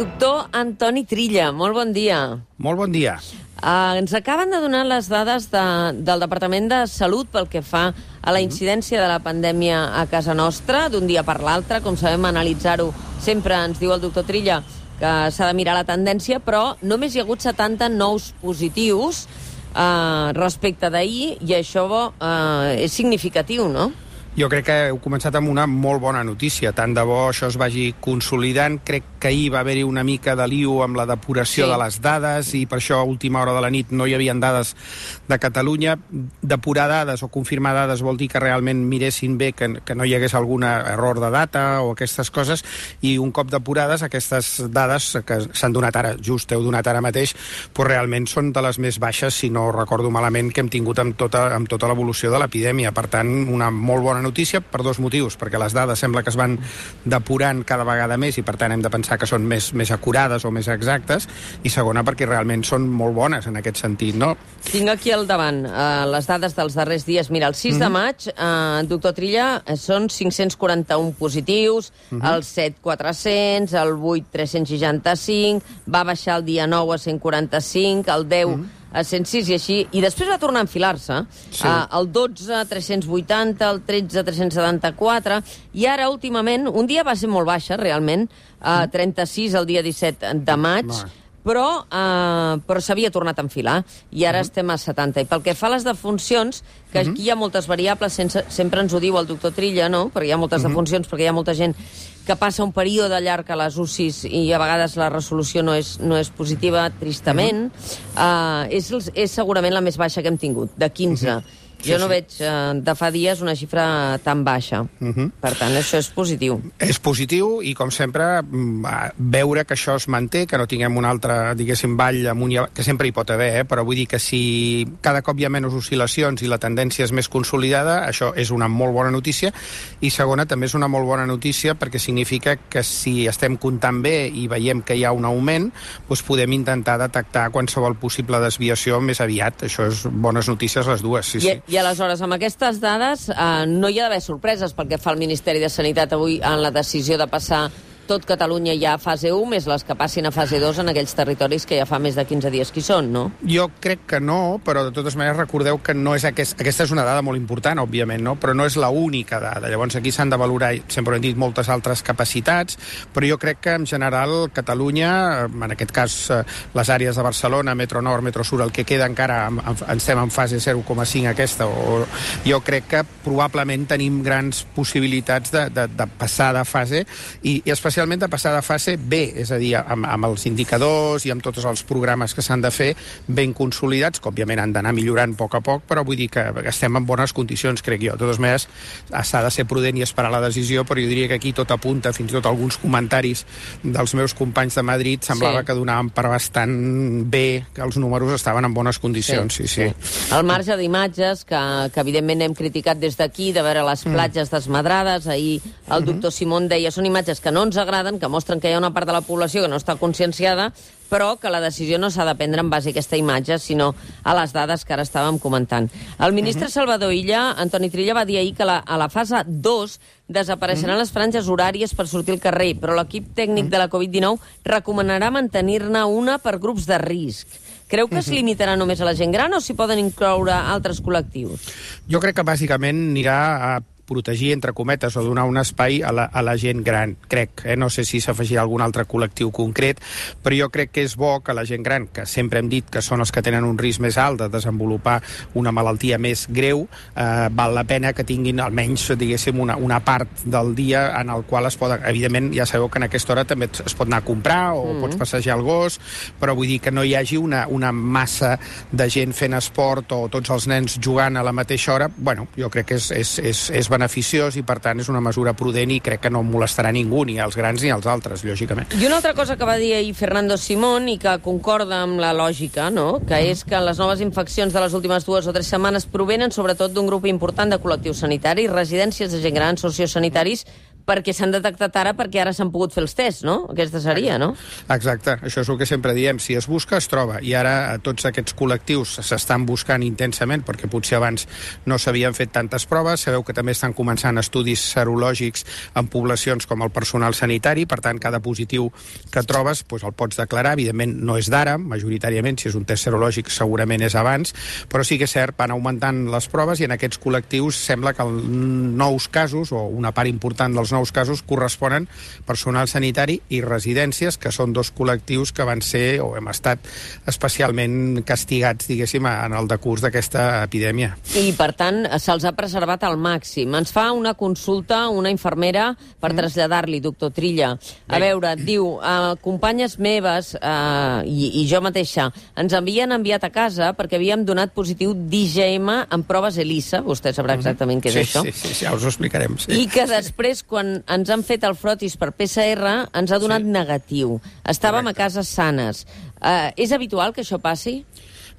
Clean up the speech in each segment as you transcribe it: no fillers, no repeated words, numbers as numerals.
Doctor Antoni Trilla, molt bon dia. Molt bon dia. Ens acaben de donar les dades del Departament de Salut pel que fa a la incidència de la pandèmia a casa nostra, d'un dia per l'altre. Com sabem, analitzar-ho sempre ens diu el doctor Trilla que s'ha de mirar la tendència, però només hi ha hagut 70 nous positius respecte d'ahir, i això és significatiu, no? Jo crec que heu començat amb una molt bona notícia. Tant de bo això es vagi consolidant. Crec que ahir va haver-hi una mica de lío amb la depuració de les dades i per això a última hora de la nit no hi havia dades de Catalunya. Depurar dades o confirmar dades vol dir que realment miressin bé que no hi hagués algun error de data o aquestes coses, i un cop depurades aquestes dades que s'han donat ara, just heu donat ara mateix, doncs realment són de les més baixes, si no recordo malament, que hem tingut amb tota l'evolució de l'epidèmia. Per tant, una molt bona notícia per dos motius, perquè les dades sembla que es van depurant cada vegada més i per tant hem de pensar que són més acurades o més exactes, i segona perquè realment són molt bones en aquest sentit, no? Tinc aquí al davant les dades dels darrers dies. Mira, el 6 de maig, doctor Trilla, són 541 positius, el 7 400, el 8 365, va baixar el dia 9 a 145, el 10 a 106 i així, i després va tornar a enfilar-se. El 12, 380, el 13, 374, i ara, últimament, un dia va ser molt baixa, realment, 36 el dia 17 de maig, però s'havia tornat a enfilar, i ara estem a 70. I pel que fa a les defuncions, que aquí hi ha moltes variables, sempre ens ho diu el doctor Trilla, no? Perquè hi ha moltes defuncions, perquè hi ha molta gent que passa un període llarg a les UCIs i a vegades la resolució no és positiva, tristament. És segurament la més baixa que hem tingut, de 15. Jo no veig de fa dies una xifra tan baixa. Per tant, això és positiu. És positiu i, com sempre, veure que això es manté, que no tinguem un altre, diguéssim, ball amunt i avall, que sempre hi pot haver, però vull dir que si cada cop hi ha menys oscil·lacions i la tendència és més consolidada, això és una molt bona notícia. I segona, també és una molt bona notícia perquè significa que si estem comptant bé i veiem que hi ha un augment, doncs podem intentar detectar qualsevol possible desviació més aviat. Això és bones notícies les dues, sí. I aleshores, amb aquestes dades, no hi ha d'haver sorpreses pel que fa al Ministeri de Sanitat avui en la decisió de passar tot Catalunya ja a fase 1, més les que passin a fase 2 en aquells territoris que ja fa més de 15 dies que hi són, no? Jo crec que no, però de totes maneres recordeu que no és aquesta és una dada molt important, òbviament, no? Però no és l'única dada. Llavors aquí s'han de valorar, sempre hem dit, moltes altres capacitats, però jo crec que en general Catalunya, en aquest cas les àrees de Barcelona, Metro Nord, Metro Sur, el que queda encara estem en fase 0,5 aquesta, o jo crec que probablement tenim grans possibilitats de passar de fase i especialment de passar de fase B, és a dir, amb els indicadors i amb tots els programes que s'han de fer ben consolidats, que òbviament han d'anar millorant a poc, però vull dir que estem en bones condicions, crec jo. De totes maneres, s'ha de ser prudent i esperar la decisió, però jo diria que aquí tot apunta, fins i tot alguns comentaris dels meus companys de Madrid semblava que donaven per bastant bé, que els números estaven en bones condicions, sí. El marge d'imatges, que evidentment hem criticat des d'aquí, de veure les platges desmadrades, ahir el doctor Simón deia, són imatges que no ens agraden, que mostren que hi ha una part de la població que no està conscienciada, però que la decisió no s'ha de prendre en base a aquesta imatge, sinó a les dades que ara estàvem comentant. El ministre Salvador Illa, Antoni Trilla, va dir ahir que a la fase 2 desapareixeran les franges horàries per sortir al carrer, però l'equip tècnic de la Covid-19 recomanarà mantenir-ne una per grups de risc. Creu que es limitarà només a la gent gran o s'hi poden incloure altres col·lectius? Jo crec que bàsicament anirà a protegir, entre cometes, o donar un espai a la gent gran, crec. No sé si s'afegirà algun altre col·lectiu concret, però jo crec que és bo que la gent gran, que sempre hem dit que són els que tenen un risc més alt de desenvolupar una malaltia més greu, val la pena que tinguin almenys, diguéssim, una part del dia en el qual es poden... Evidentment, ja sabeu que en aquesta hora també es pot anar a comprar o pots passejar el gos, però vull dir que no hi hagi una massa de gent fent esport o tots els nens jugant a la mateixa hora. Bueno, jo crec que és beneficiós i, per tant, és una mesura prudent i crec que no molestarà ningú, ni als grans ni als altres, lògicament. I una altra cosa que va dir ahir Fernando Simón i que concorda amb la lògica, no?, que és que les noves infeccions de les últimes 2 o 3 setmanes provenen sobretot d'un grup important de col·lectius sanitaris, residències de gent gran, sociosanitaris, perquè s'han detectat ara, perquè ara s'han pogut fer els tests, no? Aquesta seria, no? Exacte, això és el que sempre diem. Si es busca, es troba. I ara tots aquests col·lectius s'estan buscant intensament, perquè potser abans no s'havien fet tantes proves. Sabeu que també estan començant estudis serològics en poblacions com el personal sanitari, per tant, cada positiu que trobes el pots declarar. Evidentment, no és d'ara, majoritàriament, si és un test serològic segurament és abans, però sí que és cert, van augmentant les proves i en aquests col·lectius sembla que els nous casos, o una part important dels nous casos, corresponen personal sanitari i residències, que són dos col·lectius que van ser o hem estat especialment castigats, diguéssim, en el decurs d'aquesta epidèmia. I, per tant, se'ls ha preservat al màxim. Ens fa una consulta una infermera per traslladar-li, doctor Trilla. A veure, diu, companyes meves i jo mateixa ens havien enviat a casa perquè havíem donat positiu d'IgM en proves ELISA, vostè sabrà exactament què és això. Sí, ja us ho explicarem. Sí. I que després, quan ens han fet el frotis per PCR, ens ha donat negatiu. Estàvem a casa sanes. És habitual que això passi?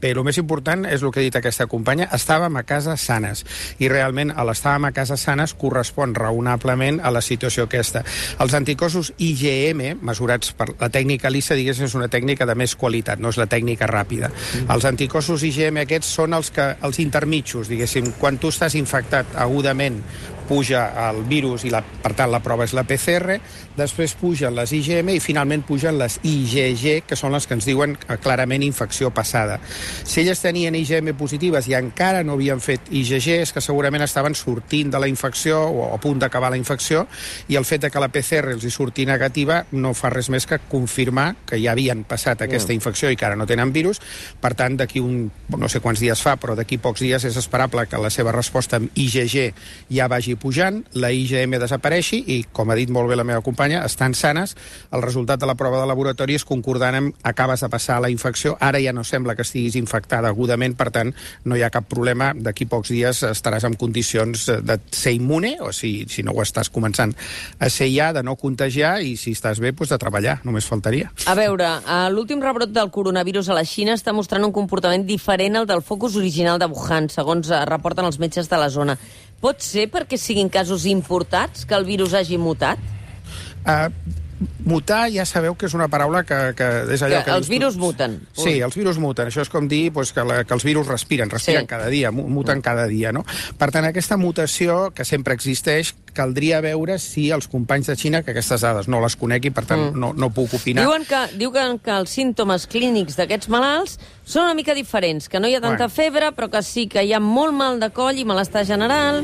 Bé, el més important és el que ha dit aquesta companya, estàvem a casa sanes, i realment l'estàvem a casa sanes correspon raonablement a la situació aquesta. Els anticossos IgM, mesurats per la tècnica ELISA, diguéssim, és una tècnica de més qualitat, no és la tècnica ràpida. Els anticossos IgM aquests són els intermitjos, diguéssim, quan tu estàs infectat agudament, puja el virus i, per tant, la prova és la PCR, després pugen les IgM i finalment pugen les IgG, que són les que ens diuen clarament infecció passada. Si elles tenien IgM positives i encara no havien fet IgG, és que segurament estaven sortint de la infecció o a punt d'acabar la infecció, i el fet que la PCR els hi surti negativa no fa res més que confirmar que ja havien passat aquesta infecció i que ara no tenen virus. Per tant, d'aquí no sé quants dies fa, però d'aquí pocs dies és esperable que la seva resposta amb IgG ja vagi pujant, la IgM desapareixi i, com ha dit molt bé la meva companya, estan sanes. El resultat de la prova de laboratori és concordant amb acabes de passar la infecció, ara ja no sembla que estiguis infectada agudament, per tant, no hi ha cap problema. D'aquí pocs dies estaràs en condicions de ser immune, o si no ho estàs començant a ser ja, de no contagiar, i si estàs bé, de treballar, només faltaria. A veure, l'últim rebrot del coronavirus a la Xina està mostrant un comportament diferent al del focus original de Wuhan, segons reporten els metges de la zona. Pot ser perquè siguin casos importats que el virus hagi mutat? Mutar, ja sabeu que és una paraula que és allò que els virus muten. Sí, els virus muten. Això és com dir que els virus respiren cada dia, muten cada dia, no? Per tant, aquesta mutació, que sempre existeix, caldria veure si els companys de Xina, que aquestes dades no les conec i per tant no puc opinar. Diuen que els símptomes clínics d'aquests malalts són una mica diferents, que no hi ha tanta febre, però que sí que hi ha molt mal de coll i malestar general.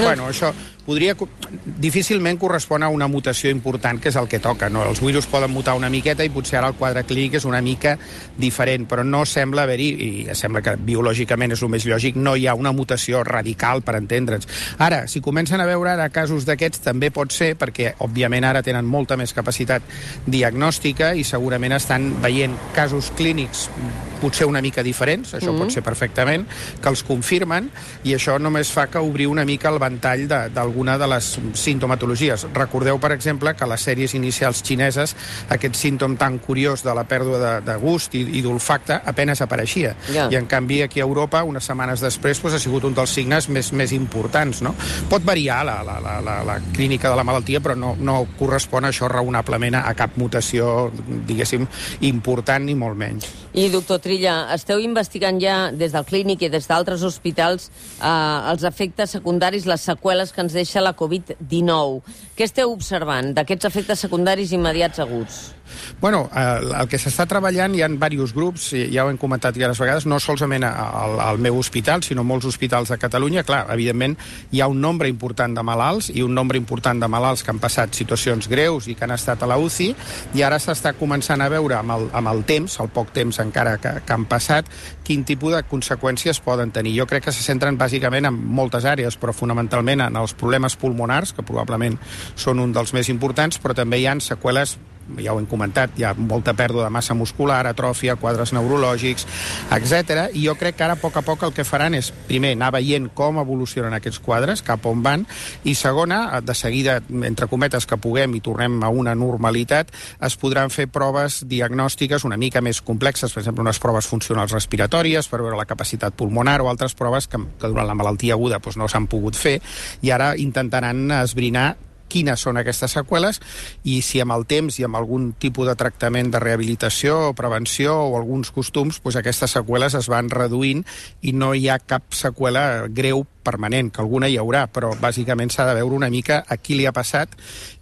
Bueno, això difícilment correspon a una mutació important, que és el que toca, no? Els virus poden mutar una miqueta i potser ara el quadre clínic és una mica diferent, però no sembla haver-hi, i sembla que biològicament és el més lògic, no hi ha una mutació radical, per entendre'ns. Ara, si comencen a veure ara casos d'aquests, també pot ser, perquè òbviament ara tenen molta més capacitat diagnòstica i segurament estan veient casos clínics potser una mica diferents, això pot ser perfectament, que els confirmen, i això només fa que obrir una mica el ventall d'alguna de les sintomatologies. Recordeu, per exemple, que a les sèries inicials xineses aquest símptom tan curiós de la pèrdua de gust i d'olfacte apenas apareixia. I en canvi aquí a Europa, unes setmanes després, ha sigut un dels signes més importants, no? Pot variar la clínica de la malaltia, però no correspon això raonablement a cap mutació, diguéssim, important ni molt menys. I, doctor Trilla, esteu investigant ja des del clínic i des d'altres hospitals els efectes secundaris, les seqüeles que ens deixa la Covid-19. Què esteu observant d'aquests efectes secundaris immediats aguts? Bueno, el que s'està treballant, hi ha diversos grups, ja ho hem comentat diverses vegades, no solament al meu hospital, sinó molts hospitals de Catalunya. Clar, evidentment, hi ha un nombre important de malalts i un nombre important de malalts que han passat situacions greus i que han estat a la UCI, i ara s'està començant a veure amb el temps, el poc temps encara que han passat, quin tipus de conseqüències poden tenir. Jo crec que se centren bàsicament en moltes àrees, però fonamentalment en els problemes pulmonars, que probablement són un dels més importants, però també hi ha seqüeles ja ho hem comentat, hi ha molta pèrdua de massa muscular, atròfia, quadres neurològics, etc. I jo crec que ara, a poc el que faran és, primer, anar veient com evolucionen aquests quadres, cap on van, i segona, de seguida, entre cometes, que puguem i tornem a una normalitat, es podran fer proves diagnòstiques una mica més complexes, per exemple, unes proves funcionals respiratòries per veure la capacitat pulmonar o altres proves que durant la malaltia aguda no s'han pogut fer, i ara intentaran esbrinar quines són aquestes seqüeles i si amb el temps i amb algun tipus de tractament de rehabilitació o prevenció o alguns costums, aquestes seqüeles es van reduint i no hi ha cap seqüela greu permanent, que alguna hi haurà, però bàsicament s'ha de veure una mica a qui li ha passat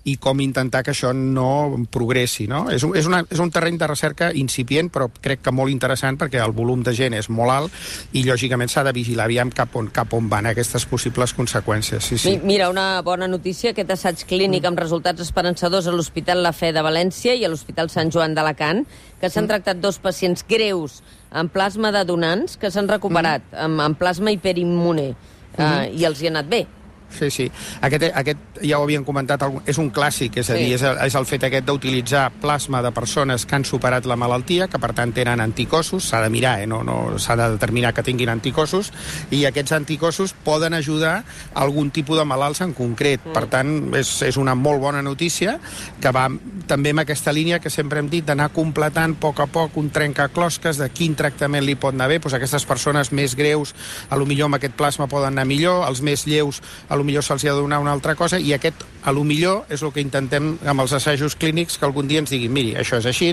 i com intentar que això no progressi, no? És un terreny de recerca incipient, però crec que molt interessant perquè el volum de gent és molt alt i lògicament s'ha de vigilar aviam cap on van aquestes possibles conseqüències. Sí. Mira, una bona notícia, aquest assaig clínic amb resultats esperançadors a l'Hospital La Fe de València i a l'Hospital Sant Joan d'Alacant, que s'han tractat 2 pacients greus amb plasma de donants que s'han recuperat amb plasma hiperimmune. I els hi ha anat bé. Sí. Aquest ja ho havíem comentat, és un clàssic, és a dir, és el fet aquest d'utilitzar plasma de persones que han superat la malaltia, que per tant tenen anticossos, s'ha de mirar, no s'ha de determinar que tinguin anticossos, i aquests anticossos poden ajudar a algun tipus de malalts en concret. Per tant, és una molt bona notícia, que va també en aquesta línia que sempre hem dit, d'anar completant a poc un trencaclosques de quin tractament li pot anar bé. Aquestes persones més greus, potser amb aquest plasma poden anar millor, els més lleus, potser se'ls ha de donar una altra cosa, i aquest, potser, és el que intentem amb els assajos clínics, que algun dia ens diguin, miri, això és així,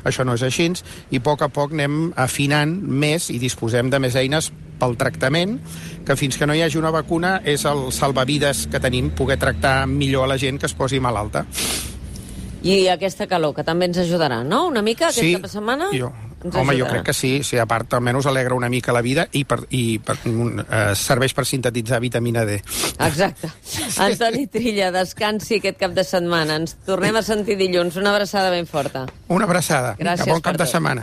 això no és així, i a poc anem afinant més i disposem de més eines pel tractament, que fins que no hi hagi una vacuna és el salvavides que tenim, poder tractar millor a la gent que es posi malalta. I aquesta calor, que també ens ajudarà, no? Una mica, aquest cap de setmana? Home, jo crec que sí, a part almenys alegra una mica la vida i serveix per sintetitzar vitamina D. Exacte. Antoni Trilla, descansi aquest cap de setmana. Ens tornem a sentir dilluns. Una abraçada ben forta. Una abraçada. Gràcies. Bon cap de setmana.